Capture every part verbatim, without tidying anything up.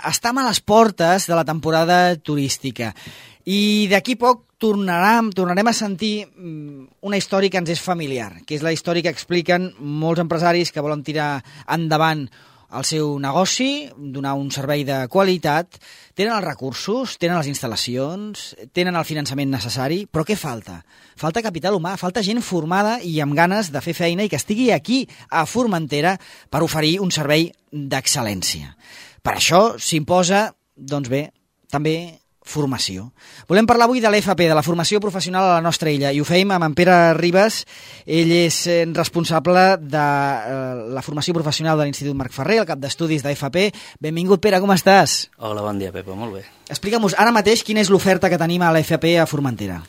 estem a les portes de la temporada turística i d'aquí poc tornarem, tornarem a sentir una història que ens és familiar, que és la història que expliquen molts empresaris que volen tirar endavant el seu negoci, donar un servei de qualitat, tenen els recursos, tenen les instal·lacions, tenen el finançament necessari, però què falta? Falta capital humà, falta gent formada i amb ganes de fer feina i que estigui aquí, a Formentera, per oferir un servei d'excel·lència. Per això s'imposa, doncs bé, també formació. Volem parlar avui de l'F P, de la formació professional a la nostra illa, i ho feim amb en Pere Ribas. Ell és responsable de la formació professional de l'Institut Marc Ferrer, el cap d'estudis d'F P. Benvingut, Pere, com estàs? Hola, bon dia, Pepa, molt bé. Explica'm-nos ara mateix quina és l'oferta que tenim a l'F P a Formentera.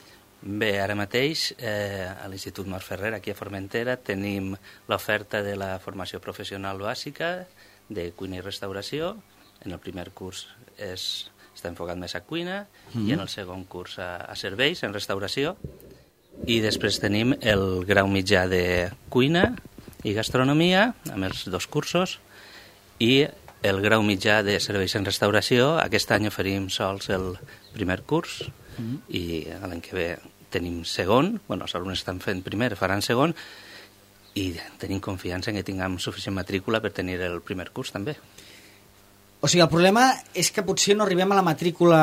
Bé, ara mateix eh, a l'Institut Marc Ferrer, aquí a Formentera, tenim l'oferta de la formació professional bàsica de cuina i restauració. En el primer curs és... està enfocat més a cuina, mm-hmm. i en el segon curs a, a serveis, en restauració. I després tenim el grau mitjà de cuina i gastronomia, amb els dos cursos, i el grau mitjà de serveis en restauració. Aquest any oferim sols el primer curs, mm-hmm. i l'any que ve tenim segon, bueno, els alumnes estan fent primer, faran segon, i tenim confiança en que tinguem suficient matrícula per tenir el primer curs també. O sigui, el problema és que potser no arribem a la matrícula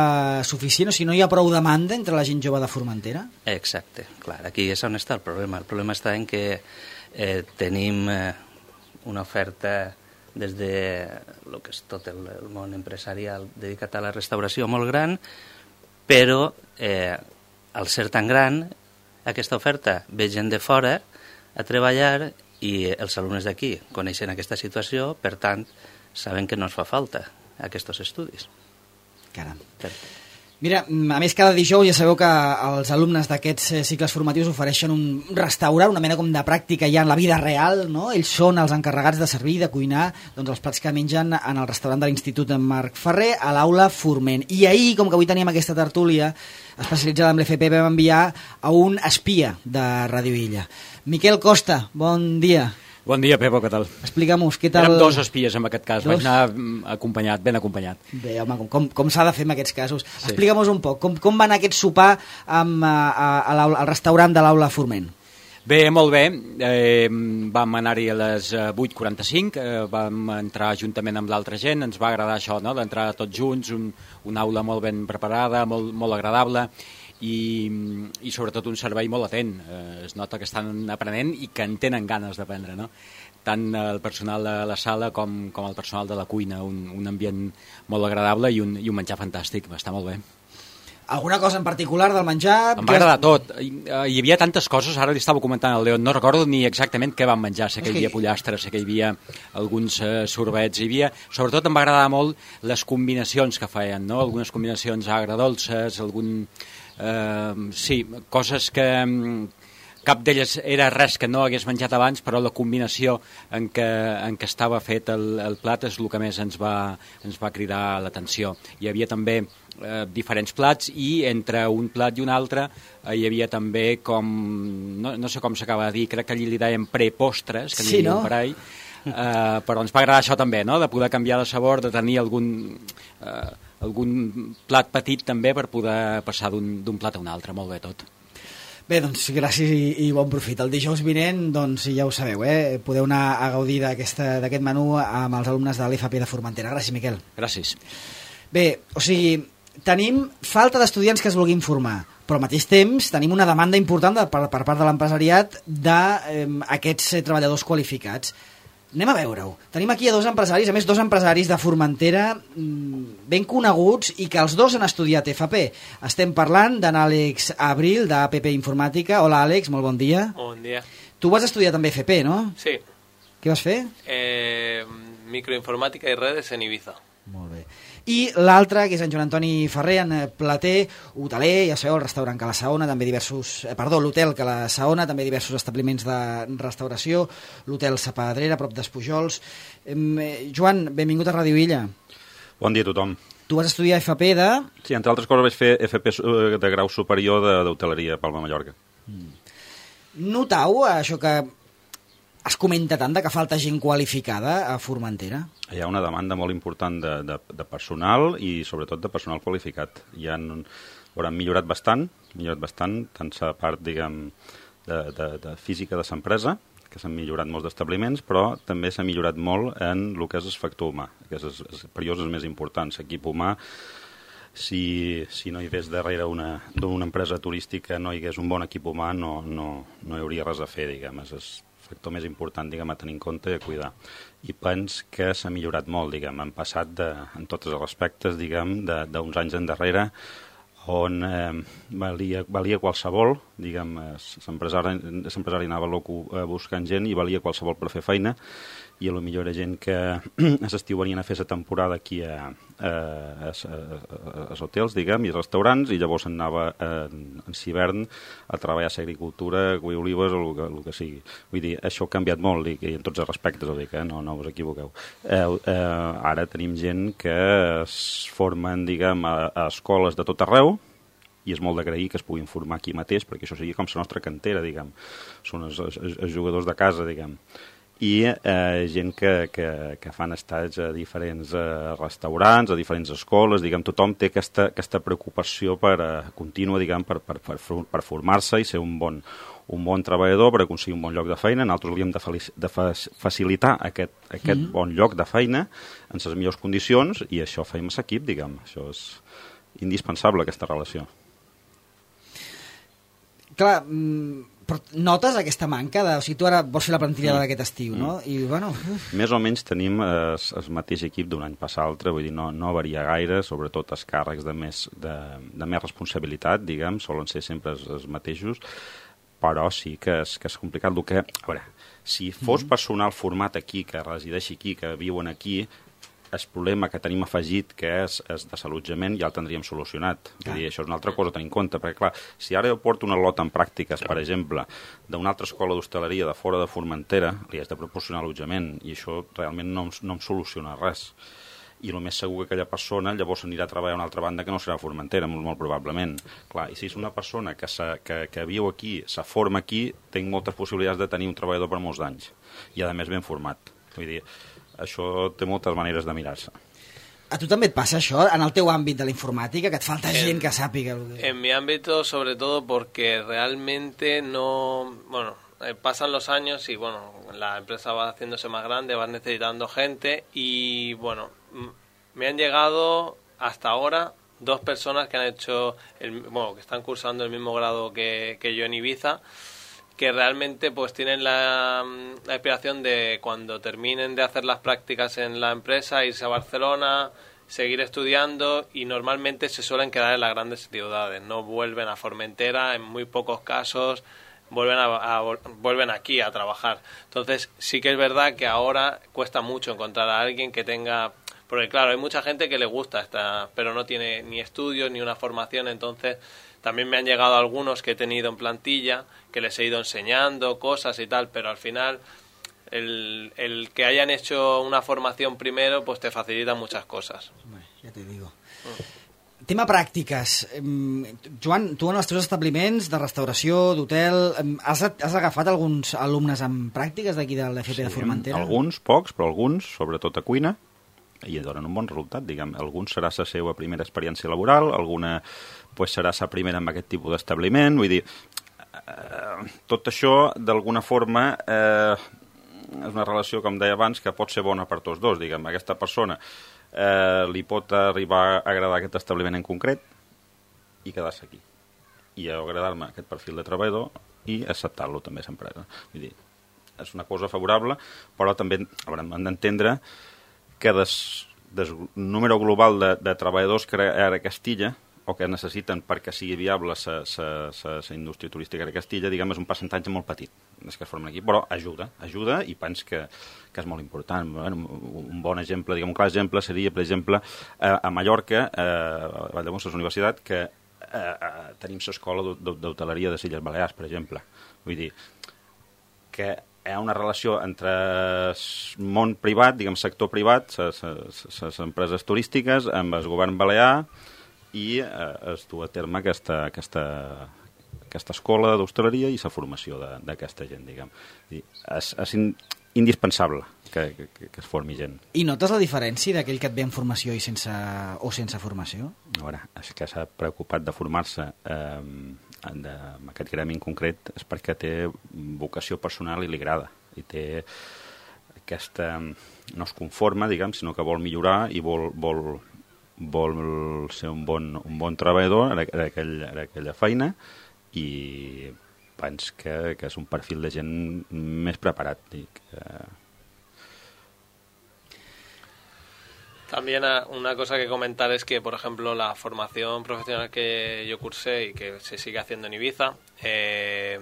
suficient, o sigui, no hi ha prou demanda entre la gent jove de Formentera? Exacte, clar, aquí és on està el problema. El problema està en que eh, tenim eh, una oferta des de lo que és tot el, el món empresarial dedicat a la restauració molt gran, però eh, al ser tan gran, aquesta oferta ve gent de fora a treballar i els alumnes d'aquí coneixen aquesta situació, per tant, saben que no ens fa falta aquests estudis. Caram. Mira, a més, cada dijous ja sabeu que els alumnes d'aquests cicles formatius ofereixen un restaurant, una mena com de pràctica ja en la vida real, no? Ells són els encarregats de servir, de cuinar, doncs els plats que mengen en el restaurant de l'Institut Marc Ferrer a l'aula Forment. I ahir, com que avui teníem aquesta tertúlia especialitzada en l'F P, vam enviar a un espia de Ràdio Illa. Miquel Costa, bon dia. Bon dia, Pepo, què tal? Explica'm-nos, què tal... Érem dos espies en aquest cas, dos? Vaig anar acompanyat, ben acompanyat. Bé, home, com, com s'ha de fer en aquests casos. Sí. Explica'm-nos un poc, com, com va anar aquest sopar amb, a, a, al restaurant de l'aula Forment? Bé, molt bé. Eh, vam anar-hi a les vuit quaranta-cinc, eh, vam entrar juntament amb l'altra gent, ens va agradar això, no?, d'entrar tots junts, un, una aula molt ben preparada, molt, molt agradable, i, i sobretot un servei molt atent. Eh, es nota que estan aprenent i que en tenen ganes d'aprendre, no? Tant el personal de la sala com, com el personal de la cuina, un, un ambient molt agradable i un, i un menjar fantàstic, va estar molt bé. Alguna cosa en particular del menjar? Em va agradar tot. Hi, hi havia tantes coses, ara li estava comentant al León, no recordo ni exactament què vam menjar, sé que hi havia pollastre, sé que hi havia alguns eh, sorbets, hi havia... Sobretot em va agradar molt les combinacions que feien, no? Algunes combinacions agredolces, algun... Uh, sí, coses que um, cap d'elles era res que no hagués menjat abans, però la combinació en què, en què estava fet el, el plat és el que més ens va, ens va cridar l'atenció. Hi havia també uh, diferents plats i entre un plat i un altre uh, hi havia també com, no, no sé com s'acaba de dir, crec que allí li deien prepostres, que sí, n'hi havia no? un parell, uh, però ens va agradar això també, no? De poder canviar de sabor, de tenir algun... Uh, algun plat petit també per poder passar d'un plat a un altre, molt bé tot. Bé, doncs gràcies i, i bon profit. El dijous vinent, doncs ja ho sabeu, eh? Podeu anar a gaudir d'aquest menú amb els alumnes de l'F P de Formentera. Gràcies, Miquel. Gràcies. Bé, o sigui, tenim falta d'estudiants que es vulguin formar, però al mateix temps tenim una demanda important de, per, per part de l'empresariat d'aquests eh, treballadors qualificats. Anem a veure-ho. Tenim aquí a dos empresaris, a més dos empresaris de Formentera ben coneguts i que els dos han estudiat F P. Estem parlant d'en Àlex Abril, d'A P P Informàtica. Hola, Àlex, molt bon dia. Bon dia. Tu vas estudiar també F P, no? Sí. Què vas fer? Eh, microinformàtica i redes en Ibiza. Molt bé. I l'altre, que és en Joan Antoni Ferrer, en Plater, hoteler, ja sabeu, el restaurant Cala Saona, també diversos... Eh, perdó, l'hotel Cala Saona, també diversos establiments de restauració, l'hotel Sa Pedrera, a prop d'Espujols. Eh, Joan, benvingut a Ràdio Illa. Bon dia a tothom. Tu vas estudiar F P de... Sí, entre altres coses vaig fer F P de grau superior d'hoteleria a Palma, Mallorca. Mm. Notau això que es comenta tant de que falta gent qualificada a Formentera? Hi ha una demanda molt important de, de, de personal i sobretot de personal qualificat. Hi han, han millorat bastant, millorat bastant, tant la part, diguem, de, de, de física de l'empresa, que s'han millorat molts d'establiments, però també s'ha millorat molt en el que és el factor humà, que és el, el perillós és més important. L'equip humà, si, si no hi hagués darrere una, d'una empresa turística, no hi hagués un bon equip humà, no, no, no hi hauria res a fer, diguem. És el factor més important, diguem, a tenir en compte i a cuidar. I pens que s'ha millorat molt, diguem. Han passat de, en tots els aspectes, diguem, d'uns anys endarrere, on eh, valia, valia qualsevol, diguem, l'empresari anava loco buscant gent i valia qualsevol per fer feina, i potser era gent que a l'estiu venien a fer la temporada aquí a, a, a, a, als hotels, diguem, i als restaurants, i llavors anava en, en hivern a treballar a l'agricultura, a cuir olives o el que, el que sigui. Vull dir, això ha canviat molt, i, i en tots els respectes, ho dic, eh? no, no us equivoqueu. Eh, eh, ara tenim gent que es formen, diguem, a, a escoles de tot arreu, i és molt d'agrair que es puguin formar aquí mateix, perquè això sigui com la nostra cantera, diguem. Són els, els, els jugadors de casa, diguem. I eh, gent que, que, que fan estats a diferents eh, restaurants, a diferents escoles, diguem, tothom té aquesta, aquesta preocupació per, eh, contínua, diguem, per, per, per, per formar-se i ser un bon, un bon treballador per aconseguir un bon lloc de feina. Nosaltres hauríem de, de facilitar aquest, aquest mm-hmm. bon lloc de feina en les millors condicions, i això feim a l'equip, diguem. Això és indispensable, aquesta relació. Clar, però notes aquesta manca de... O sigui, tu ara vols fer la plantilla mm. d'aquest estiu, no? I, bueno... Uf. Més o menys tenim el eh, mateix equip d'un any pas l'altre, vull dir, no, no varia gaire, sobretot els càrrecs de més, de, de més responsabilitat, diguem, solen ser sempre els, els mateixos, però sí que és, que és complicat. El que, a veure, si fos mm. personal format aquí, que resideixi aquí, que viuen aquí, el problema que tenim afegit, que és, és de l'allotjament, ja el tindríem solucionat. Vull dir, això és una altra cosa a tenir en compte, perquè, clar, si ara jo porto una lota en pràctiques, per exemple, d'una altra escola d'hostaleria de fora de Formentera, li has de proporcionar allotjament, i això realment no, no em soluciona res. I el més segur que aquella persona llavors anirà a treballar a una altra banda que no serà a Formentera, molt, molt probablement. Clar, i si és una persona que, que, que viu aquí, se forma aquí, tinc moltes possibilitats de tenir un treballador per molts anys. I, a més, ben format. Vull dir, això té moltes maneres de mirar-se. A tu també et passa això, en el teu àmbit de la informàtica, que et falta en, gent que sàpiga? En mi ámbito, sobre todo, porque realmente no... Bueno, eh, pasan los años y, bueno, la empresa va haciéndose más grande, vas necesitando gente y, bueno, me han llegado hasta ahora dos personas que han hecho, el, bueno, que están cursando el mismo grado que, que yo en Ibiza, que realmente pues tienen la, la aspiración de cuando terminen de hacer las prácticas en la empresa irse a Barcelona, seguir estudiando, y normalmente se suelen quedar en las grandes ciudades, no vuelven a Formentera, en muy pocos casos vuelven a, a vuelven aquí a trabajar. Entonces sí que es verdad que ahora cuesta mucho encontrar a alguien que tenga, porque claro, hay mucha gente que le gusta esta, pero no tiene ni estudios ni una formación. Entonces también me han llegado algunos que he tenido en plantilla, que les he ido enseñando cosas y tal, pero al final el, el que hayan hecho una formación primero pues te facilita muchas cosas. Bueno, ja te digo. Mm. Tema pràctiques. Joan, tu en els teus establiments de restauració, d'hotel, has, has agafat alguns alumnes amb pràctiques d'aquí de l'F P sí, de Formentera? Alguns, pocs, però alguns, sobretot a cuina, i donen un bon resultat, diguem. Alguns serà la seva primera experiència laboral, alguna pues, serà la primera amb aquest tipus d'establiment, vull dir, eh, tot això, d'alguna forma, eh, és una relació, com deia abans, que pot ser bona per tots dos, diguem. Aquesta persona eh, li pot arribar a agradar aquest establiment en concret i quedar-se aquí. I agradar-me aquest perfil de treballador i acceptar-lo també a l'empresa. Vull dir, és una cosa favorable, però també hem d'entendre que des, des número global de, de treballadors que ara a Castilla, o que necessiten perquè sigui viable la indústria turística de Castilla, diguem, és un percentatge molt petit, és que es formen aquí, però ajuda, ajuda i pens que, que és molt important. Bueno, un bon exemple, diguem, un clar exemple seria, per exemple, a, a Mallorca, a Valldemons, a la universitat, que a, a, tenim l'escola d'hoteleria de Illes Balears, per exemple. Vull dir, que hi ha una relació entre el món privat, diguem, sector privat, les empreses turístiques, amb el govern balear, i eh, es du a terme aquesta, aquesta, aquesta escola d'hostaleria i la formació d'aquesta gent, diguem. I és, és in, indispensable que, que, que es formi gent. I notes la diferència d'aquell que et ve en formació i sense, o sense formació? A veure, és que s'ha preocupat de formar-se eh, en aquest gremi en concret és perquè té vocació personal i li agrada. I té aquesta... no es conforma, diguem, sinó que vol millorar i vol, vol, vol ser un bon, un bon treballador en, aquell, en aquella feina i penso que, que és un perfil de gent més preparat. Dic, eh... También una cosa que comentar es que, por ejemplo, la formación profesional que yo cursé y que se sigue haciendo en Ibiza, eh,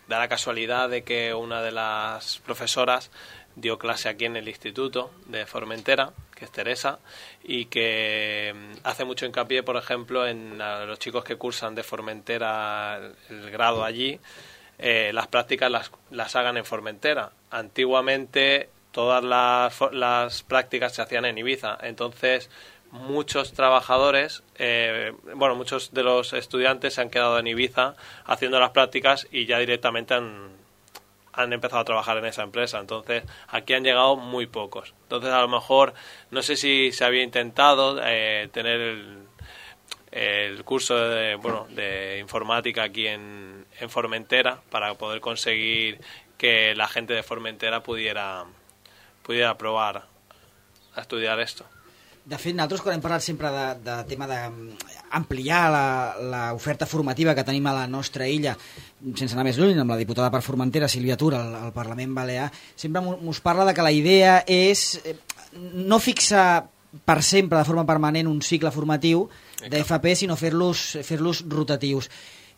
da la casualidad de que una de las profesoras dio clase aquí en el instituto de Formentera, que es Teresa, y que hace mucho hincapié, por ejemplo, en los chicos que cursan de Formentera el grado allí, eh, las prácticas las, las hagan en Formentera. Antiguamente todas las, las prácticas se hacían en Ibiza, entonces muchos trabajadores, eh, bueno, muchos de los estudiantes se han quedado en Ibiza haciendo las prácticas y ya directamente han, han empezado a trabajar en esa empresa. Entonces aquí han llegado muy pocos. Entonces a lo mejor, no sé si se había intentado eh, tener el, el curso de, bueno, de informática aquí en, en Formentera para poder conseguir que la gente de Formentera pudiera, pudiera probar a estudiar esto. De fet, nosaltres quan hem parlat sempre de, de tema d'ampliar l'oferta formativa que tenim a la nostra illa, sense anar més lluny, amb la diputada per Formentera, Sílvia Tura, al, al Parlament Balear, sempre mos parla de que la idea és no fixar per sempre, de forma permanent, un cicle formatiu d'F P, sinó fer-los fer-los rotatius.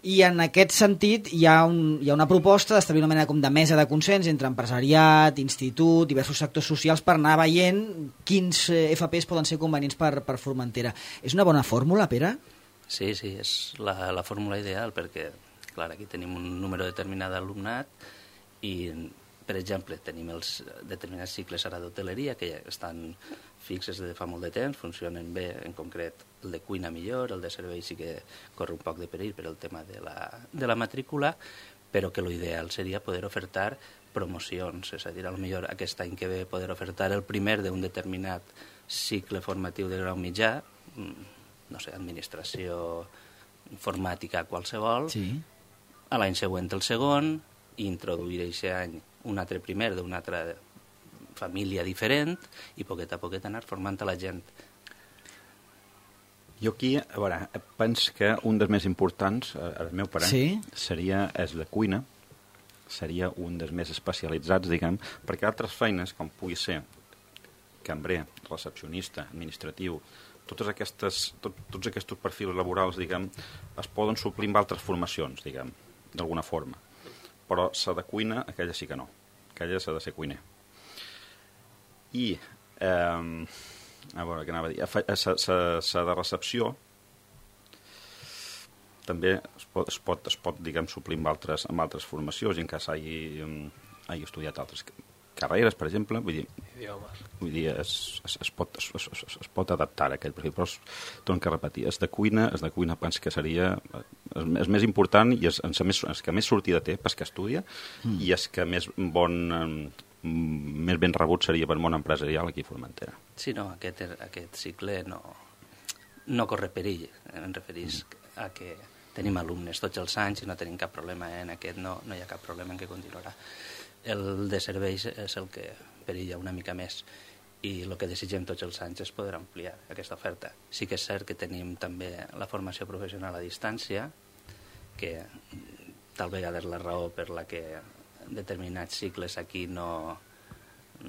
I en aquest sentit hi ha, un, hi ha una proposta d'establir una mena com de mesa de consens entre empresariat, institut, diversos sectors socials per anar veient quins F Ps poden ser convenients per, per Formentera. És una bona fórmula, Pere? Sí, sí, és la, la fórmula ideal perquè, clar, aquí tenim un número determinat d'alumnat i, per exemple, tenim els determinats cicles ara d'hoteleria que ja estan fixes de fa molt de temps, funcionen bé, en concret el de cuina millor, el de servei sí que corre un poc de perill per el tema de la, de la matrícula, però que l'ideal seria poder ofertar promocions, és a dir, potser aquest any que ve poder ofertar el primer d'un determinat cicle formatiu de grau mitjà, no sé, administració informàtica qualsevol, sí. A l'any següent el segon, i introduir aquest any un altre primer d'una altra família diferent i poquet a poquet anar formant a la gent. Jo aquí, a veure, penso que un dels més importants, al meu parer, sí? seria és la cuina, seria un dels més especialitzats, diguem, perquè altres feines, com pugui ser cambrer, recepcionista, administratiu, totes aquestes, tot, tots aquests perfils laborals, diguem, es poden suplir amb altres formacions, diguem, d'alguna forma. Però s'ha de cuina, aquella sí que no. Aquella s'ha de ser cuiner. I, eh, a veure, què anava a dir? S'ha de recepció també es pot, es pot, es pot diguem, suplir amb altres, amb altres formacions, en cas hagi, hagi estudiat altres carreres, per exemple, vull dir, idiomes. Vull dir es, es, es, pot, es, es, es pot adaptar a aquell perfil, però es torno a repetir, és de cuina, és de cuina penso que seria és, és més important i és, és, més, és que més sortida té pas que estudia mm. i és que més bon més ben rebut seria per món empresarial aquí a Formentera. Sí, no, aquest, aquest cicle no, no corre perill, em referís mm. a que tenim alumnes tots els anys i no tenim cap problema, eh? En aquest no, no hi ha cap problema en què continuarà. El de serveis és el que perilla una mica més i el que desitgem tots els anys és poder ampliar aquesta oferta. Sí que és cert que tenim també la formació professional a distància, que tal vegada és la raó per la que determinats cicles aquí no,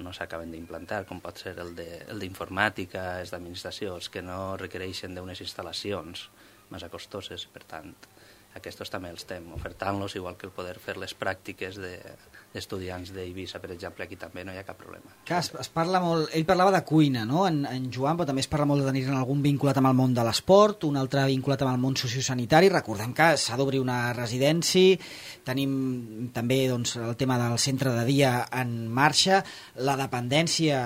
no s'acaben d'implantar, com pot ser el d'informàtica, els d'administració, els que no requereixen d'unes instal·lacions massa costoses, per tant, aquests també els estem ofertant-los, igual que el poder fer les pràctiques de, d'estudiants d'Eivissa, per exemple, aquí també no hi ha cap problema. Clar, es, es parla molt, ell parlava de cuina, no?, en, en Joan, però també es parla molt de tenir algun vinculat amb el món de l'esport, un altre vinculat amb el món sociosanitari. Recordem que s'ha d'obrir una residència, tenim també doncs, el tema del centre de dia en marxa, la dependència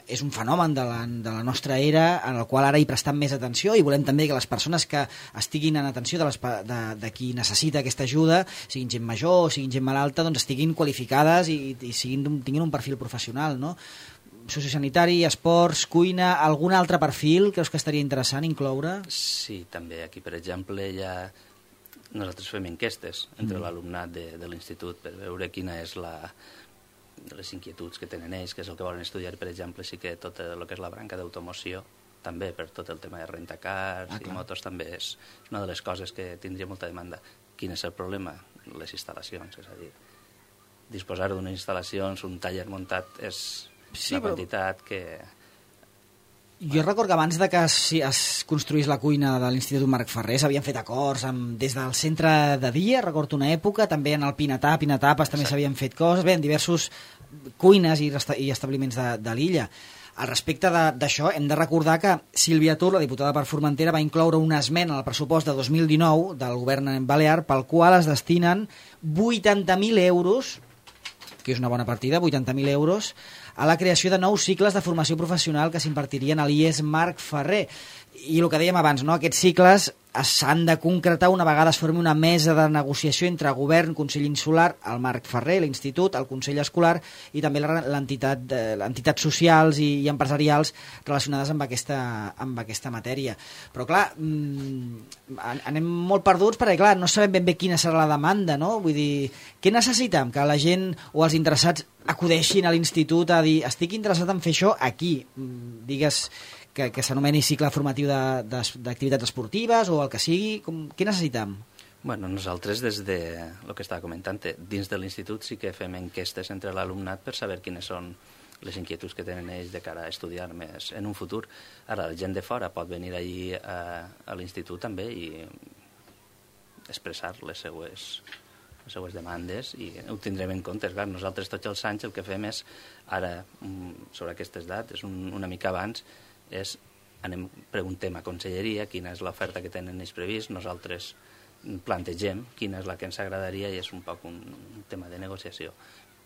és un fenomen de la, de la nostra era, en el qual ara hi prestem més atenció i volem també que les persones que estiguin en atenció de les, de, de qui necessita aquesta ajuda, siguin gent major o siguin gent malalta, doncs estiguin qualificades i, i siguin, tinguin un perfil professional, no? Sociosanitari, esports, cuina, algun altre perfil creus que estaria interessant incloure? Sí, també. Aquí, per exemple, ja nosaltres fem enquestes entre mm. l'alumnat de, de l'institut per veure quina és la, les inquietuds que tenen ells, que és el que volen estudiar. Per exemple, sí que tot el que és la branca d'automoció, també per tot el tema de rentacars ah, i motos, també és una de les coses que tindria molta demanda. Quin és el problema? Les instal·lacions, és a dir, disposar d'unes instal·lacions, un taller muntat és sí, una quantitat però... que... Jo recordo que abans de que es, es construís la cuina de l'Institut Marc Ferrer s'havien fet acords amb, des del centre de dia, recordo una època, també en el Pinatà, Pinatapes també s'havien fet coses, bé, en diversos cuines i, i establiments de, de l'illa. Al respecte d'això, hem de recordar que Sílvia Tur, la diputada per Formentera, va incloure una esmena al pressupost de dos mil dinou del govern balear pel qual es destinen vuitanta mil euros, que és una bona partida, vuitanta mil euros, a la creació de nous cicles de formació professional que s'impartirien a l'I E S Marc Ferrer. I el que dèiem abans, no? Aquests cicles s'han de concretar una vegada es formi una mesa de negociació entre govern, Consell Insular, el Marc Ferrer, l'Institut, el Consell Escolar i també l'entitat, entitats socials i, i empresarials relacionades amb aquesta, amb aquesta matèria. Però clar, mmm, anem molt perduts perquè clar, no sabem ben bé quina serà la demanda, no? Vull dir, què necessitem? Que la gent o els interessats acudeixin a l'institut a dir estic interessat en fer això aquí, digues que, que s'anomeni cicle formatiu d'activitats esportives o el que sigui, com, què necessitem? Bueno, nosaltres des de el que estava comentant, dins de l'institut sí que fem enquestes entre l'alumnat per saber quines són les inquietuds que tenen ells de cara a estudiar més en un futur. Ara, la gent de fora pot venir allí a, a l'institut també i expressar les seues les seues demandes i ho tindrem en compte. Clar, nosaltres tots els anys el que fem és, ara, sobre aquestes dates, un, una mica abans, és, anem, preguntem a Conselleria quina és l'oferta que tenen ells previst, nosaltres plantegem quina és la que ens agradaria i és un poc un tema de negociació.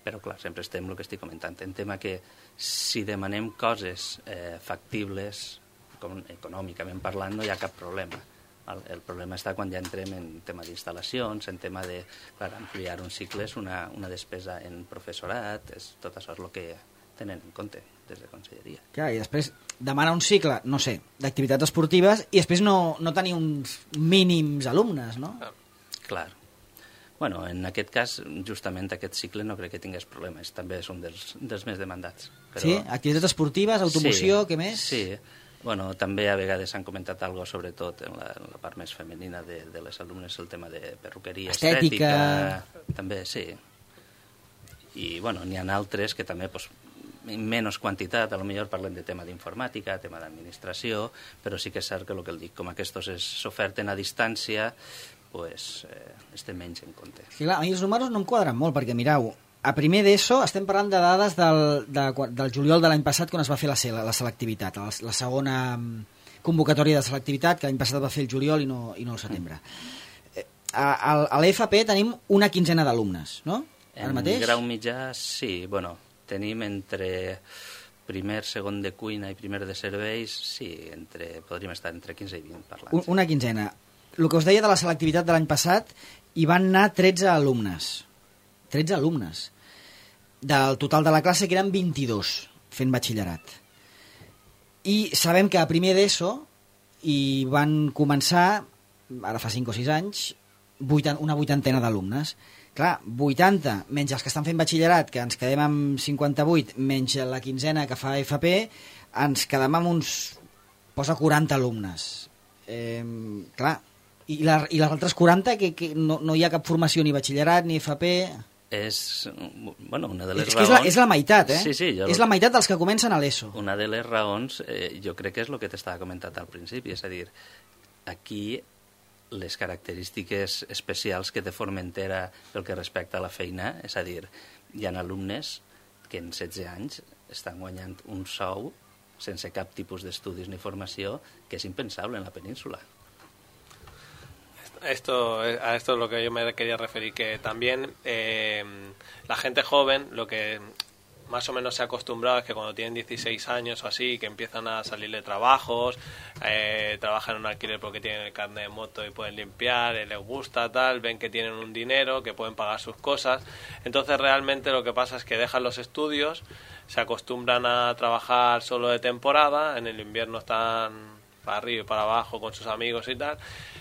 Però, clar, sempre estem el que estic comentant. En tema que si demanem coses eh, factibles, com, econòmicament parlant, no hi ha cap problema. El, el problema està quan ja entrem en tema d'instal·lacions, en tema de clar, ampliar un cicle és una, una despesa en professorat, és, tot això és el que tenen en compte des de Conselleria. Clar, i després demanar un cicle, no sé, d'activitats esportives i després no, no tenir uns mínims alumnes, no? Ah, clar. Bueno, en aquest cas, justament aquest cicle no crec que tingués problemes, també és un dels, dels més demandats. Però... Sí? Activitats esportives, automoció, sí, què més? Sí, bueno, també a vegades s'han comentat algo, sobretot en la, en la part més femenina de, de les alumnes, el tema de perruqueria, estètica, estètica també, sí. I, bueno, n'hi ha altres que també, pues, en menys quantitat, a lo millor parlem de tema d'informàtica, tema d'administració, però sí que és cert que el que el dic, com aquests s'oferten a distància, pues, eh, estem menys en compte. Sí, clar, a mi els números no em quadren molt, perquè mireu, a primer d'ESO estem parlant de dades del, de, del juliol de l'any passat quan es va fer la, la selectivitat, la, la segona convocatòria de selectivitat, que l'any passat va fer el juliol i no, i no el setembre. Mm. A, a, a l'E F P tenim una quinzena d'alumnes, no? Ara mateix? En grau mitjà, sí. Bueno, tenim entre primer, segon de cuina i primer de serveis, sí, entre, podríem estar entre quinze i vint parlant. Un, una quinzena. El que us deia de la selectivitat de l'any passat, hi van anar tretze alumnes. tretze alumnes. Del total de la classe, que eren vint-i-dos fent batxillerat. I sabem que a primer d'ESO hi van començar, ara fa cinc o sis anys, una vuitantena d'alumnes. Clar, vuitanta, menys els que estan fent batxillerat, que ens quedem amb cinquanta-vuit, menys la quinzena que fa F P, ens quedem amb uns... posa quaranta alumnes. Eh, clar, i, la, i les altres quaranta, que, que no, no hi ha cap formació ni batxillerat ni F P... És, bueno, una de les és raons... És la, és la meitat, eh? Sí, sí, jo... És la meitat dels que comencen a l'ESO. Una de les raons, eh, jo crec que és el que t'estava comentant al principi, és a dir, aquí les característiques especials que té Formentera pel que respecta a la feina, és a dir, hi ha alumnes que en setze anys estan guanyant un sou sense cap tipus d'estudis ni formació que és impensable en la península. Esto, a esto es lo que yo me quería referir, que también eh, la gente joven, lo que más o menos se ha acostumbrado es que cuando tienen dieciséis años o así, que empiezan a salirle trabajos, eh, trabajan en un alquiler porque tienen el carnet de moto y pueden limpiar, eh, les gusta tal, ven que tienen un dinero, que pueden pagar sus cosas. Entonces realmente lo que pasa es que dejan los estudios, se acostumbran a trabajar solo de temporada, en el invierno están para arriba y para abajo con sus amigos y tal.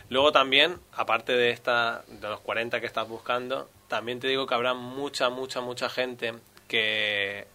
Luego también, aparte de esta de los cuarenta que estás buscando, también te digo que habrá mucha, mucha, mucha gente que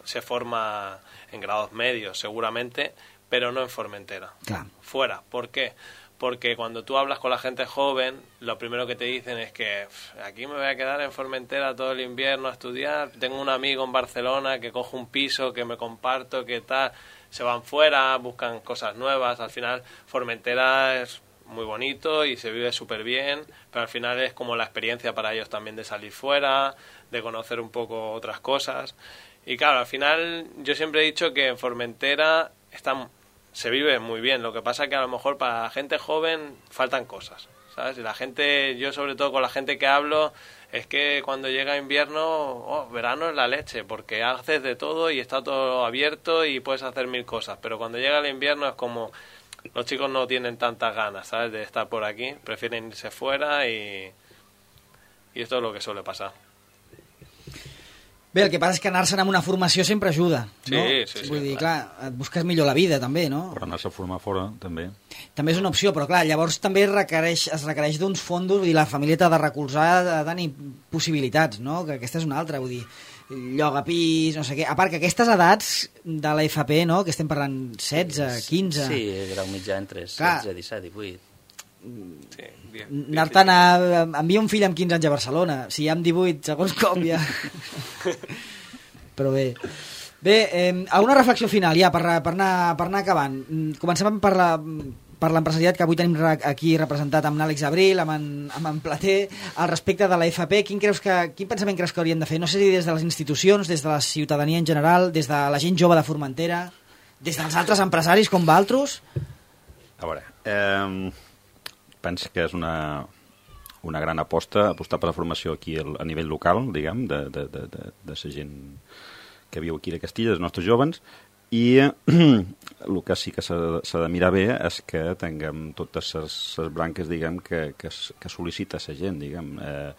se forma en grados medios seguramente, pero no en Formentera. Claro. Fuera. ¿Por qué? Porque cuando tú hablas con la gente joven, lo primero que te dicen es que aquí me voy a quedar en Formentera todo el invierno a estudiar, tengo un amigo en Barcelona que coge un piso, que me comparto, que tal, se van fuera, buscan cosas nuevas. Al final Formentera es muy bonito y se vive súper bien, pero al final es como la experiencia para ellos también de salir fuera, de conocer un poco otras cosas. Y claro, al final yo siempre he dicho que en Formentera está, se vive muy bien. Lo que pasa es que a lo mejor para la gente joven faltan cosas, ¿sabes? Y la gente, yo sobre todo con la gente que hablo, es que cuando llega invierno, oh, verano es la leche, porque haces de todo y está todo abierto y puedes hacer mil cosas. Pero cuando llega el invierno es como... Los chicos no tienen tantas ganas, ¿sabes?, de estar por aquí, prefieren irse fuera y, y esto es lo que suele pasar. Bé, el que passa és que anar-se'n amb una formació sempre ajuda, no? Sí, sí, sí. Vull dir, clar, et busques millor la vida, també, no? Per anar-se a formar fora, també. També és una opció, però clar, llavors també requereix, es requereix d'uns fondos, vull dir, la família t'ha de recolzar, ha de tenir possibilitats, no? Que aquesta és una altra, vull dir, lloga pis, no sé què. A part que aquestes edats de la F P, no?, que estem parlant setze, quinze... Sí, grau mitjà entre setze, disset, divuit. Sí, anar-te'n a... envia un fill amb quinze anys a Barcelona, si ja amb divuit, segons com ja... Però bé... Bé, eh, alguna reflexió final ja per, per, anar, per anar acabant. Comencem per la... per l'empresariat, que avui tenim aquí representat amb Àlex Abril, amb en, amb en Plater, al respecte de la F P. Quin, creus que, quin pensament creus que hauríem de fer? No sé si des de les institucions, des de la ciutadania en general, des de la gent jove de Formentera, des dels altres empresaris com vosaltres? A veure, eh, penso que és una, una gran aposta, apostar per la formació aquí a nivell local, diguem, de, de, de, de, de la gent que viu aquí a Castilla, dels nostres jovens, i el que sí que s'ha de mirar bé és que tinguem totes les branques, diguem, que, que, que sol·licita la gent, diguem. Eh,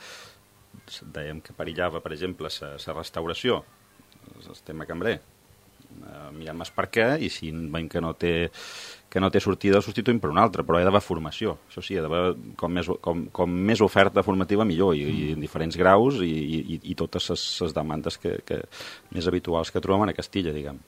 dèiem que perillava, per exemple, la restauració, el tema cambrer. Eh, mirem més per què, i si veiem que no té, que no té sortida, el substituïm per una altra, però hi ha d'haver formació. Això sí, hi ha d'haver com, més, com, com més oferta formativa millor, i, i en diferents graus, i, i, i totes les demandes que, que, més habituals que trobem a Castilla, diguem.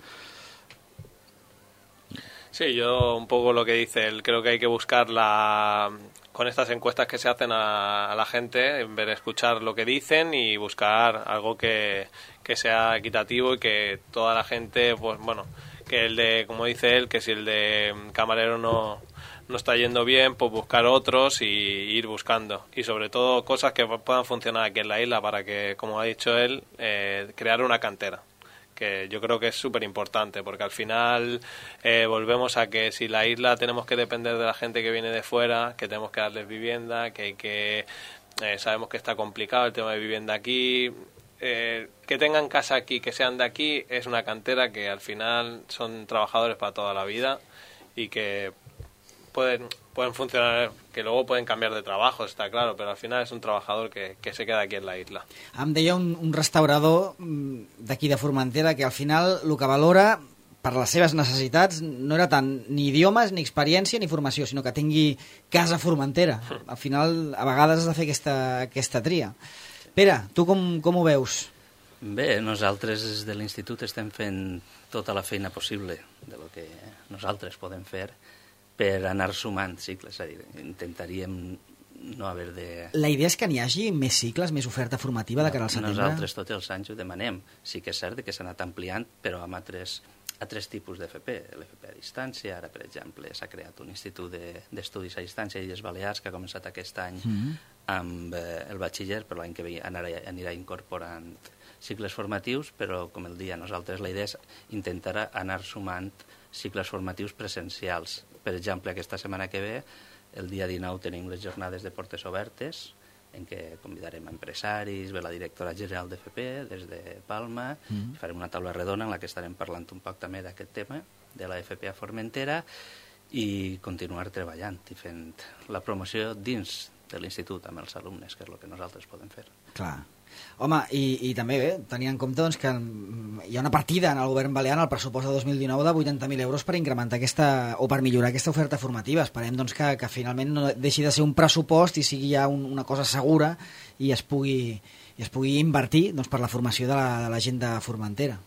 Sí, yo un poco lo que dice él, creo que hay que buscar la, con estas encuestas que se hacen a, a la gente, en vez de escuchar lo que dicen y buscar algo que, que sea equitativo y que toda la gente, pues bueno, que el de, como dice él, que si el de camarero no, no está yendo bien, pues buscar otros y ir buscando. Y sobre todo cosas que puedan funcionar aquí en la isla para que, como ha dicho él, eh, crear una cantera, que yo creo que es súper importante, porque al final eh, volvemos a que si la isla tenemos que depender de la gente que viene de fuera, que tenemos que darles vivienda, que hay que eh, sabemos que está complicado el tema de vivienda aquí, eh, que tengan casa aquí, que sean de aquí, es una cantera que al final son trabajadores para toda la vida y que pueden pueden funcionar, que luego pueden cambiar de trabajo, está claro, pero al final es un trabajador que, que se queda aquí en la isla. Em deia un, un restaurador d'aquí de Formentera que al final el que valora per les seves necessitats no era tant ni idiomes, ni experiència, ni formació, sinó que tingui casa a Formentera. Al final, a vegades has de fer aquesta, aquesta tria. Pere, tu com, com ho veus? Bé, nosaltres des de l'institut estem fent tota la feina possible de lo que nosaltres podem fer per anar sumant cicles, és a dir, intentaríem no haver de... La idea és que n'hi hagi més cicles, més oferta formativa de cara al setembre? Nosaltres tots els anys ho demanem. Sí que és cert que s'ha anat ampliant, però amb altres, altres tipus d'F P. L'F P a distància, ara, per exemple, s'ha creat un institut d'estudis a distància a Illes Balears que ha començat aquest any mm-hmm. amb eh, el batxiller, però l'any que ve anirà, anirà incorporant cicles formatius, però, com el dia nosaltres, la idea és intentar anar sumant cicles formatius presencials. Per exemple, aquesta setmana que ve, el dia dinou, tenim les jornades de portes obertes, en què convidarem empresaris, ve la directora general de F P des de Palma, mm. i farem una taula redona en la que estarem parlant un poc també d'aquest tema, de la F P a Formentera, i continuar treballant i fent la promoció dins de l'institut amb els alumnes, que és el que nosaltres podem fer. Clar. Home, i, i també bé, tenint en compte doncs, que hi ha una partida en el govern balear en el pressupost de dos mil dinou de vuitanta mil euros per incrementar aquesta, o per millorar aquesta oferta formativa. Esperem doncs, que, que finalment no deixi de ser un pressupost i sigui ja un, una cosa segura i es pugui, i es pugui invertir doncs, per la formació de la, de la gent de Formentera.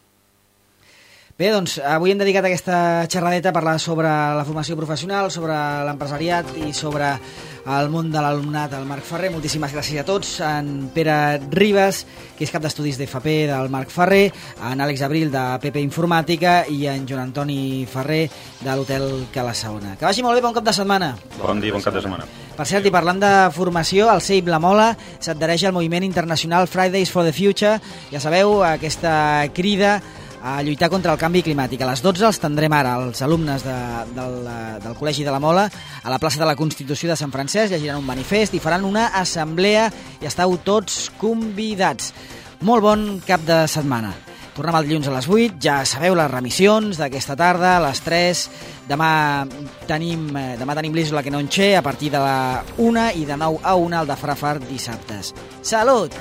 Bé, doncs, avui hem dedicat aquesta xerradeta a parlar sobre la formació professional, sobre l'empresariat i sobre el món de l'alumnat, el Marc Ferrer. Moltíssimes gràcies a tots. En Pere Ribas, que és cap d'estudis d'F P del Marc Ferrer, en Àlex Abril de P P Informàtica i en Joan Antoni Ferrer de l'Hotel Calasaona. Que vagi molt bé, bon cap de setmana. Bon dia, bon cap de setmana. Per cert, i parlant de formació, el C E I P La Mola s'adhereix al moviment internacional Fridays for the Future. Ja sabeu, aquesta crida a lluitar contra el canvi climàtic. A les dotze els tindrem ara els alumnes de, del, del Col·legi de la Mola a la plaça de la Constitució de Sant Francesc, llegiran un manifest i faran una assemblea i estàu tots convidats. Molt bon cap de setmana. Tornem el dilluns a les vuit, ja sabeu les remissions d'aquesta tarda, a les tres. Demà tenim, demà tenim l'Isla que no enxer a partir de la una i de nou a una el de Frafar dissabtes. Salut!